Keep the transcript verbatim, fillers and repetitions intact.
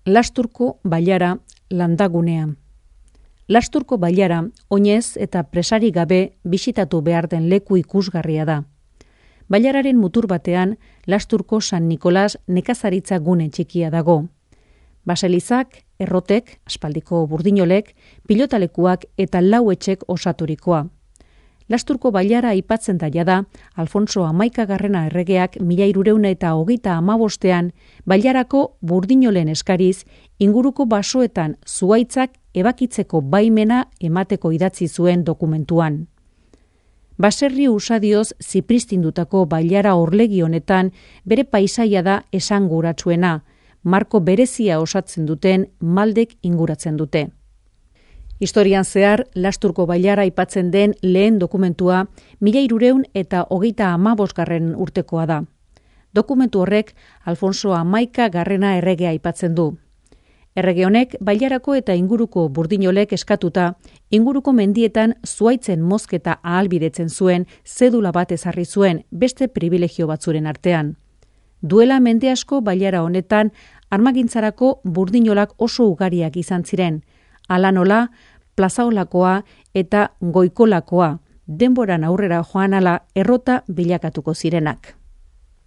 Lasturko bailara landagunean. Lasturko bailara oinez eta presari gabe bisitatu behar den leku ikusgarria da. Bailararen mutur batean Lasturko San Nikolas nekazaritza gune txikia dago. Baselizak, errotek, aspaldiko burdinolek, pilotalekuak eta lau etxek osaturikoa. Lasturko bailara aipatzen da jada, Alfonso hamaikagarrena erregeak mila hirurehun eta hogeita hamabostean bailarako burdinolen eskariz inguruko basoetan zuhaitzak ebakitzeko baimena emateko idatzi zuen dokumentuan. Baserri usadioz zipristindutako bailara orlegi honetan bere paisaia da esanguratsuena, marko berezia osatzen duten maldek inguratzen dute. Historian zehar, Lasturko bailara aipatzen den lehen dokumentua mila hirurehun eta hogeita hamabosgarren urtekoa da. Dokumentu horrek Alfonso hamaikagarrena erregea aipatzen du. Errege honek bailarako eta inguruko burdinolek eskatuta, inguruko mendietan zuhaitzen mozketa ahalbidetzen zuen zedula bat ezarri zuen beste privilegio batzuren artean. Duela mende asko bailara honetan armagintzarako burdinolak oso ugariak izan ziren, hala nola, plazaolakoa eta goikolakoa, denboran aurrera joan ala errota bilakatuko zirenak.